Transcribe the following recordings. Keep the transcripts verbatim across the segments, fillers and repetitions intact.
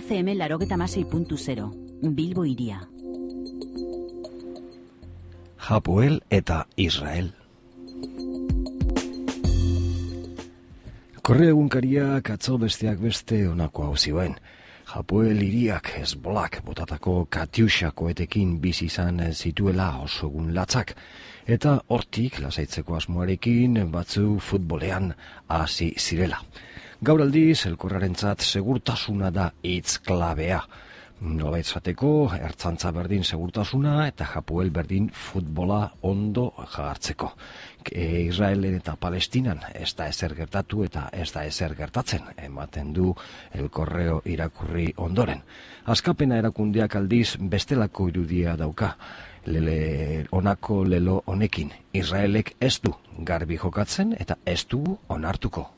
F M laurogeita hamasei puntu zero, Bilbo hiria. Hapoel eta Israel. Korre egunkariak atzo besteak beste honako hau zioen. Hapoel hiriak Hezbolak botatako Katyusha koetekin bizi izan zituela oso egun latzak, eta hortik lasaitzeko asmoarekin batzu futbolean hasi zirela. Gaur aldiz, elkorrarentzat segurtasuna da hitz klabea. Nolabait esateko, ertzantza berdin segurtasuna eta Hapoel berdin futbola ondo jartzeko. E, Israelen eta Palestinan ez da ezer gertatu eta ez da ezer gertatzen, ematen du El Correo irakurri ondoren. Askapena erakundeak aldiz bestelako irudia dauka. Lele onako lelo honekin, Israelek ez du garbi jokatzen eta ez du onartuko.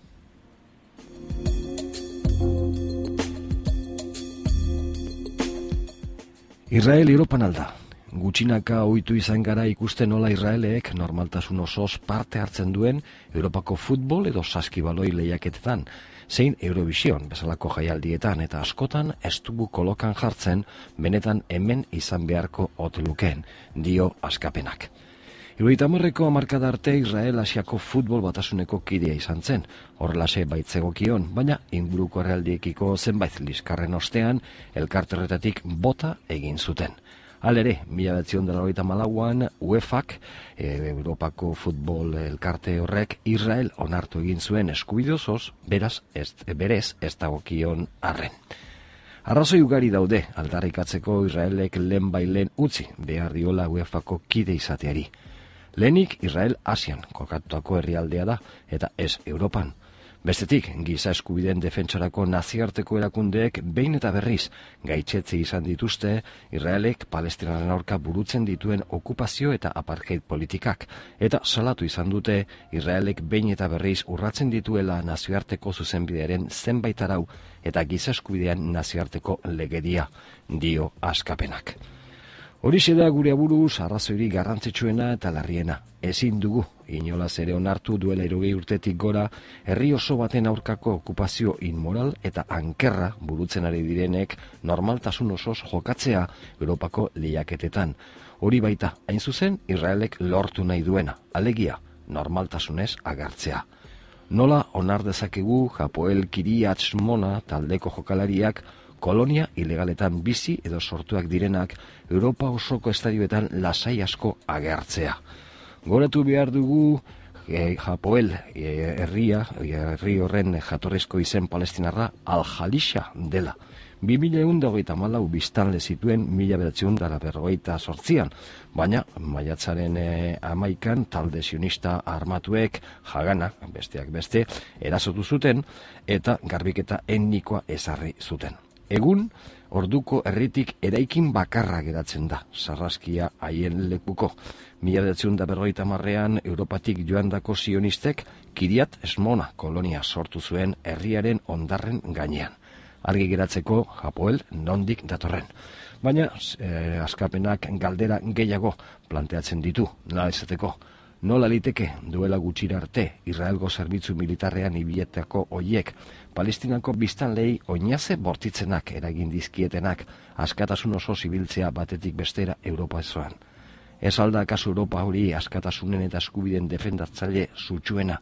Israel Europan alda. Gutxinaka ohitu izan gara ikusten nola Israelek normaltasun osoz parte hartzen duen Europako futbol edo saskibaloi lehiaketetan, zein Eurovision bezalako jaialdietan eta askotan ez dugu kolokan jartzen benetan hemen izan beharko ote lukeen, dio Askapenak. Hirurogeita hamarreko hamarkada arte Israel Asiako futbol batasuneko kidea izan zen, horrelase baitzegokion, baina inguruko herrialdiekiko zenbait liskarren ostean elkarterretatik bota egin zuten. Halere, mila bederatziehun eta laurogeita hamalauan UEFak, e, Europako futbol elkarte horrek, Israel onartu egin zuen eskubide osoz, beraz, ez, berez ez dagokion arren. Arrazoi ugari daude aldarrikatzeko Israelek lehen bailen utzi behar diola UEFako kide izateari. Lehenik Israel Asian kokatutako herrialdea da, eta ez Europan. Bestetik, giza eskubideen defentsarako nazioarteko erakundeek behin eta berriz gaitzetze izan dituzte Israelek Palestinaren aurka burutzen dituen okupazio eta apartheid politikak, eta salatu izan dute Israelek behin eta berriz urratzen dituela nazioarteko zuzenbidearen zenbait arau eta giza eskubidean nazioarteko legedia, dio Askapenak. Horixe da gure aburuz arrazoiri garrantzitsuena eta larriena. Ezin dugu, inolaz ere onartu duela hirurogei urtetik gora, herri oso baten aurkako okupazio inmoral eta ankerra burutzen ari direnek normaltasun osoz jokatzea Europako lehiaketetan. Hori baita, hain zuzen, Israelek lortu nahi duena, alegia, normaltasunez agertzea. Nola onar dezakegu Hapoel Kiryat Shmona taldeko jokalariak kolonia ilegaletan bizi edo sortuak direnak Europa osoko estadioetan lasai asko agertzea. Goratu behar dugu e, Hapoel e, herria, herri horren jatorrizko izen palestinarra Al-Jalisha dela. bi mila ehun eta hogeita hamalau biztanle zituen mila bederatziehun eta berrogeita zortzian, baina maiatzaren e, hamaikan talde sionista armatuek Hagana, besteak beste, erasotu zuten eta garbiketa etnikoa ezarri zuten. Egun, orduko herritik eraikin bakarra geratzen da, sarraskia haien lekuko. Mila bederatziehun eta berrogeita hamarrean Europatik joandako sionistek Kiryat Shmona kolonia sortu zuen herriaren hondarren gainean. Argi geratzeko Hapoel nondik datorren. Baina eh, Askapenak galdera gehiago planteatzen ditu, nola esateko. Nola liteke duela gutxira arte Israelgo zerbitzu militarrean ibietako hoiek Palestinako biztanlei oinaze bortitzenak eragin dizkietenak askatasun oso zibiltzea batetik bestera Europa ezoan. Ez alda kasu Europa hori askatasunen eta eskubideen defendatzaile sutsuena.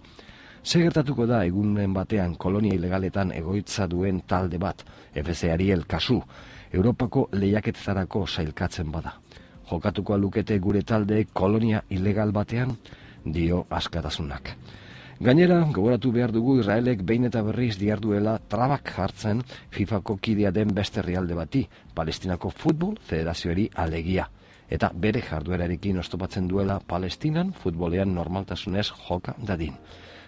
Ze gertatuko da egunen batean kolonia ilegaletan egoitza duen talde bat, F C Ariel kasu, Europako lehiaketetarako sailkatzen bada. Jokatuko lukete gure talde kolonia ilegal batean, dio askatasunak. Gainera, gogoratu behar dugu Israelek behin eta berriz diharduela trabak jartzen FIFako kidea den beste herrialde bati, Palestinako futbol federazioari alegia, eta bere jarduerarekin oztopatzen duela Palestinan futbolean normaltasunez joka dadin.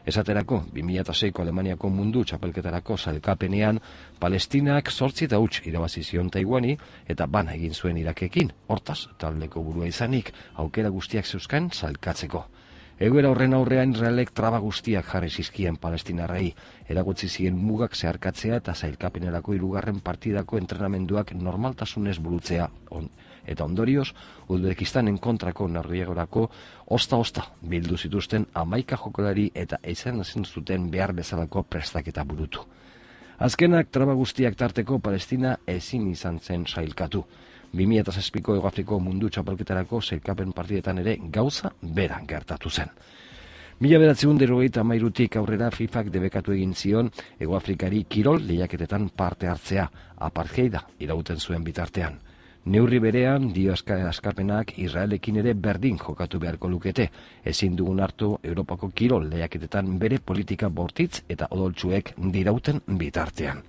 Esaterako, bi mila seiko Alemaniako mundu txapelketarako sailkapenean, Palestinak zortzi eta huts irabazi zion Taiwani eta bana egin zuen Irakekin, hortaz, taldeko burua izanik, aukera guztiak zeuzkan sailkatzeko. Egoera horren aurrean Israelek traba guztiak jarri zizkien palestinarrei, eragotzi zien mugak zeharkatzea eta sailkapenerako hirugarren partidako entrenamenduak normaltasunez burutzea on, eta ondorioz, Uzbekistanen kontrako Norvegorako osta-osta bildu zituzten hamaika jokolari eta izan ezin zuten behar bezalako prestaketa burutu. Azkenak traba guztiak tarteko Palestina ezin izan zen sailkatu. bi mila zazpiko Hegoafriko mundu txapelketarako sailkapen partidetan ere gauza bera gertatu zen. Mila bederatziehun eta hirurogeita hamairutik aurrera FIFAk debekatu egin zion Hegoafrikari kirol lehiaketetan parte hartzea, apartheida irauten zuen bitartean. Neurri berean, dio askapenak Israelekin ere berdin jokatu beharko lukete, ezin dugun hartu Europako kirol lehiaketetan bere politika bortitz eta odoltsuek dirauten bitartean.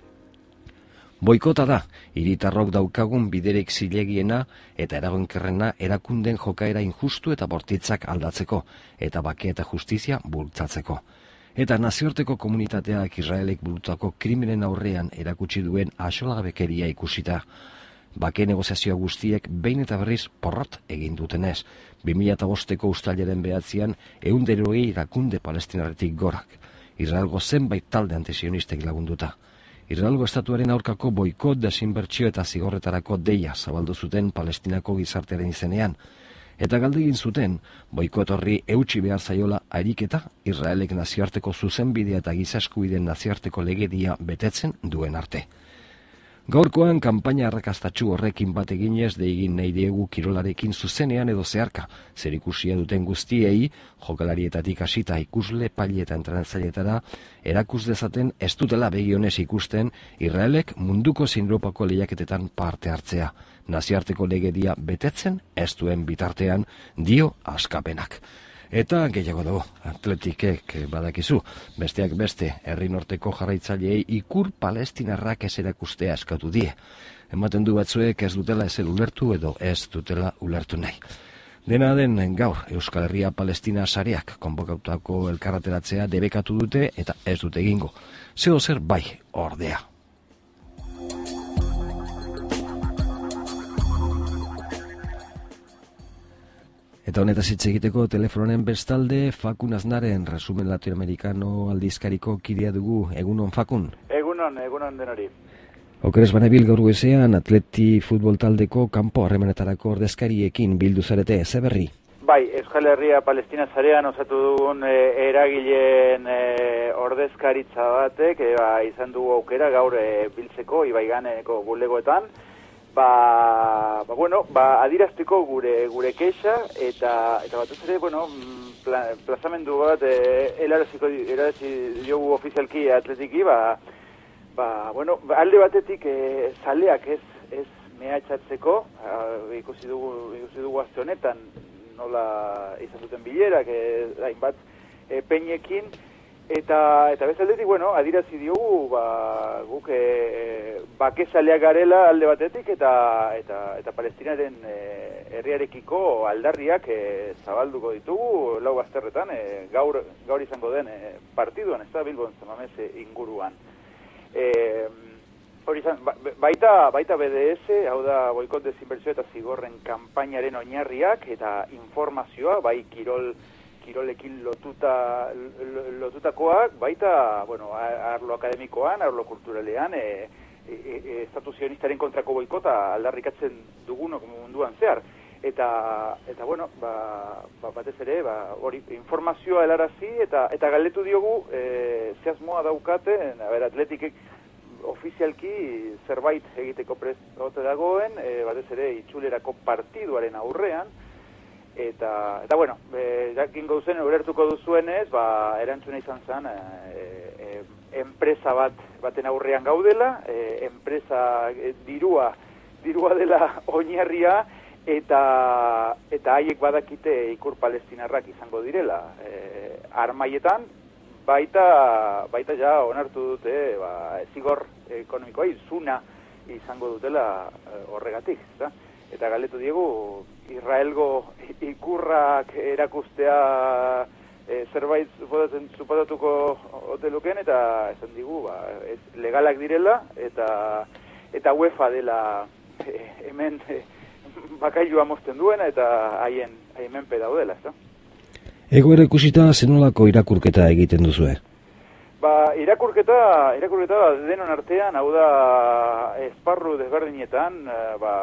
Boikota da, hiritarrok daukagun biderek zilegiena eta eragonkerrena erakunden jokaera injustu eta bortitzak aldatzeko, eta bake eta justizia bultzatzeko. Eta nazioarteko komunitateak Israelek burutako krimenen aurrean erakutsi duen axolagabekeria ikusita. Bake negoziazioa guztiek behin eta berriz porrot egin dutenez, bi mila bosteko uztailaren behatzean ehun eta hirurogei erakunde palestinarretik gorak, Israelgo zenbait talde antisionistek lagunduta. Israelgo estatuaren aurkako boikot, desinbertsio eta zigorretarako deia zabaldu zuten Palestinako gizartearen izenean, eta galdegin zuten boikot horri eutsi behar zaiola ariketa Israelek nazioarteko zuzenbidea eta giza eskubideen nazioarteko legedia betetzen duen arte. Gaurkoan kanpaina arrakastatsu horrekin bat eginez deigin nahi diegu kirolarekin zuzenean edo zeharka, zerikusia duten guztiei, jokalarietatik hasita ikusle, paile eta entrenatzailetara, erakus dezaten ez dutela begionez ikusten Israelek munduko zein Europako lehiaketetan parte hartzea, nazioarteko legedia betetzen ez duen bitartean dio askapenak. Eta gehiago dugu, atletikek badakizu, besteak beste, herri norteko jarraitzaileei ikur palestinarrak ez erakustea eskatu die. Ematen du batzuek ez dutela ezer ulertu edo ez dutela ulertu nahi. Dena den gaur Euskal Herria Palestina sareak konbokautako elkarrateratzea debekatu dute eta ez dute egingo. Zeo zer bai ordea. Eta honetaz hitz egiteko telefonoen bestalde, Fakun Aznaren, resumen latinoamerikano aldizkariko kidea dugu. Egunon, Fakun? Egunon, egunon denori. Okeres banabil gaur goizean, Atleti futbol taldeko kanpo harremanetarako ordezkariekin bildu zarete, ze berri? Bai, Euskal Herria Palestina zarean osatu dugun e, eragileen e, ordezkaritza batek, e, ba, izan dugu aukera gaur e, biltzeko, Ibaiganeko bulegoetan, Ba, ba, bueno, ba, adirazteko gure gure kexa eta eta batez ere, bueno, pla, plazamendu bat eh, elaraziko elarazi diogu ofizialki Atletiki, ba, ba, bueno, alde batetik eh, zaleak ez ez mehatxatzeko, ikusi dugu ikusi dugu aste honetan nola izan duten bilerak, eh, hainbat eh, peinekin. Eta eta bezaldetik, bueno, adirazi diogu, ba, guk e, bakezaleak garela alde batetik eta eta eta Palestinaren e, herriarekiko aldarriak e, zabalduko ditugu lau bazterretan e, gaur gaur izango den e, partiduan, ez da Bilbon San Mamés inguruan. E, hori izan, ba, baita baita B D S, hau da boikot desinbertsio eta zigorren kanpainaren oinarriak eta informazioa, bai kirol kirolekin lotuta lotutakoak, baita, bueno, arlo akademikoan, arlo kulturalean, e, e, e, estatu zionistaren kontrako boikota aldarrikatzen dugunok munduan zehar. Eta, eta bueno, ba, ba, batez ere, ba, hori, informazioa helarazi eta eta galdetu diogu e, zehazmoa daukaten, a ber, Atletikek ofizialki zerbait egiteko prest dagoen, e, batez ere itzulerako partiduaren aurrean, Eta, eta bueno, e, jakin gauzen, ulertuko duzuenez, ba, erantzuna izan zen, e, e, enpresa bat baten aurrean gaudela, e, enpresa e, dirua, dirua dela oinarria, eta eta haiek badakite ikur palestinarrak izango direla. E, armaietan, baita, baita ja onartu dute, ba, zigor ekonomikoa, zuna izango dutela e, horregatik, eta, eta galdetu diegu, Israelgo ikurrak erakustea e, zerbait supatatuko hoteluken eta esan digu, ba, ez, legalak direla eta eta UEFA dela e, hemen e, bakailua mozten duena eta haien hemenpe daudela, ez da? Egoera ikusita zenolako irakurketa egiten duzue? Ba, irakurketa, irakurketa denon artean, hau da esparru desberdinetan, ba,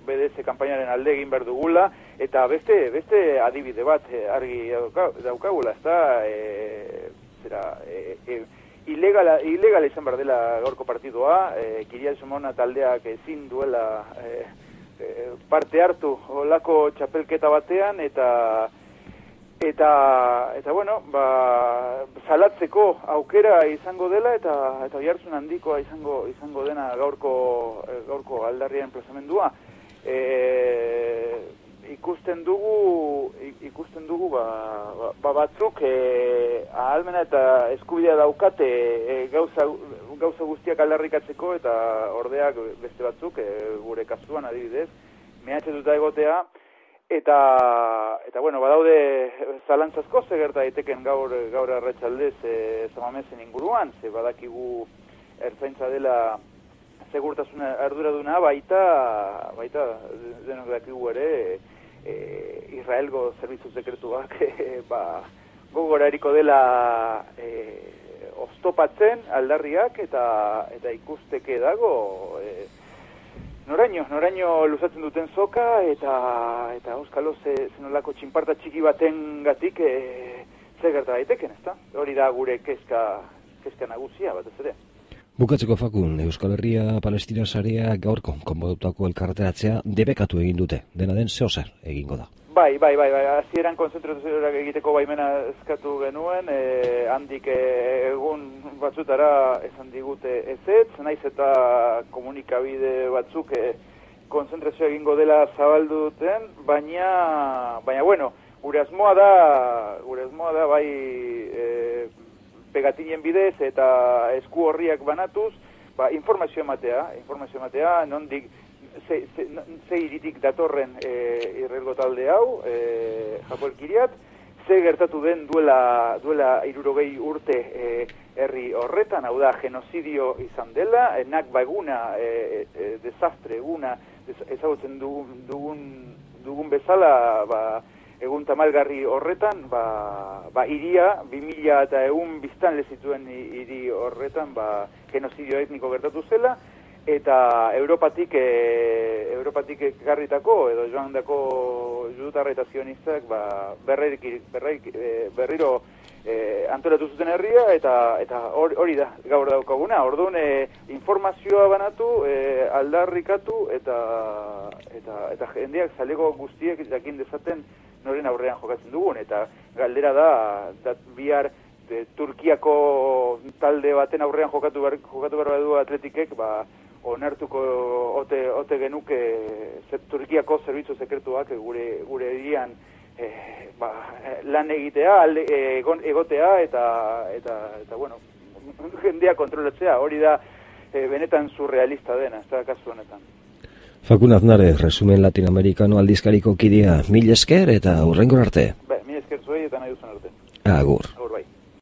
B D S kanpainaren alde egin behar dugula, eta beste beste adibide bat argi daukagula, ez da, e, zera, e, e, ilegala, ilegala izan behar dela gaurko partidua, e, Kirial Somona taldeak ezin duela e, e, parte hartu olako txapelketa batean, eta eta eta bueno, ba, salatzeko aukera izango dela, eta eta oihartzun handikoa izango izango dena gaurko gaurko aldarrien plazamendua. E, ikusten dugu ikusten dugu ba, ba batzuk e, ahalmena eta eskubidea daukate e, gauza gauza guztiak aldarrikatzeko, eta ordeak beste batzuk e, gure kasuan adibidez mehatxatuta egotea, eta eta bueno, badaude zalantzazko ze gerta daiteken gaur gaur arratsaldez e, Zamamezen inguruan, ze badakigu ertzaintza dela segurtasuna arduraduna, baita baita denok dakigu ere e, Israelgo zerbitzu sekretuak e, ba, gogora eriko dela e, oztopatzen aldarriak, eta eta ikusteke dago e, noraino, noraino luzatzen duten soka, eta eta auskalo ze zenolako txinparta txiki baten gatik e, ze gerta daiteken, ezta? Hori da gure kezka kezka nagusia batez ere. Bukatzeko Fakun, Euskal Herria Palestina sarea gaurko konbotutako elkarreteratzea debekatu egin dute. Dena den zeo zer egingo da. Bai, bai, bai, bai. Hasieran konzentrazioak egiteko baimena eskatu genuen, e, handik e, egun batzutara esan digute ezetz, naiz eta komunikabide batzuk e, konzentrazioa egingo dela zabaldu duten, baina baina bueno, gure asmoa da, gure asmoa da bai e, pegatinen bidez eta esku horriak banatuz, ba, informazio ematea, informazio ematea, nondik, ze, ze, ze iritik datorren e, irrelgo talde hau, e, Japoel Kiriat, ze gertatu den duela, duela hirurogei urte e, herri horretan, hau da, genozidio izan dela, e, nakba eguna, e, e, desastre eguna, ezagutzen dugun, dugun, dugun bezala, ba, egun tamalgarri horretan, ba, ba iria, bi mila eta egun biztan lezituen hiri horretan, ba, genozidio etniko gertatu zela, eta Europatik, e, Europatik ekarritako, edo joan dako judutarra eta zionistak, ba, berrerik, berrerik, e, berriro e, antolatu zuten herria, eta eta hori da, gaur daukaguna. Orduan, e, informazioa banatu, e, aldarrikatu, eta, eta, eta jendeak zalego guztiek jakin dezaten noren aurrean jokatzen dugun, eta galdera da, da bihar de, Turkiako talde baten aurrean jokatu behar, jokatu behar du Atletikek, ba, onartuko ote, ote genuke ze, Turkiako zerbitzu sekretuak gure gure hirian e, ba, lan egitea, alde, egon, egotea, eta, eta, eta bueno, jendea kontrolatzea, hori da e, benetan surrealista dena, ez da kasu honetan. Fakun Aznarez, resumen latinoamerikano aldizkariko kidea, mil esker eta hurrengor arte. Be, mil esker zuei eta nahi duzun arte. Agur.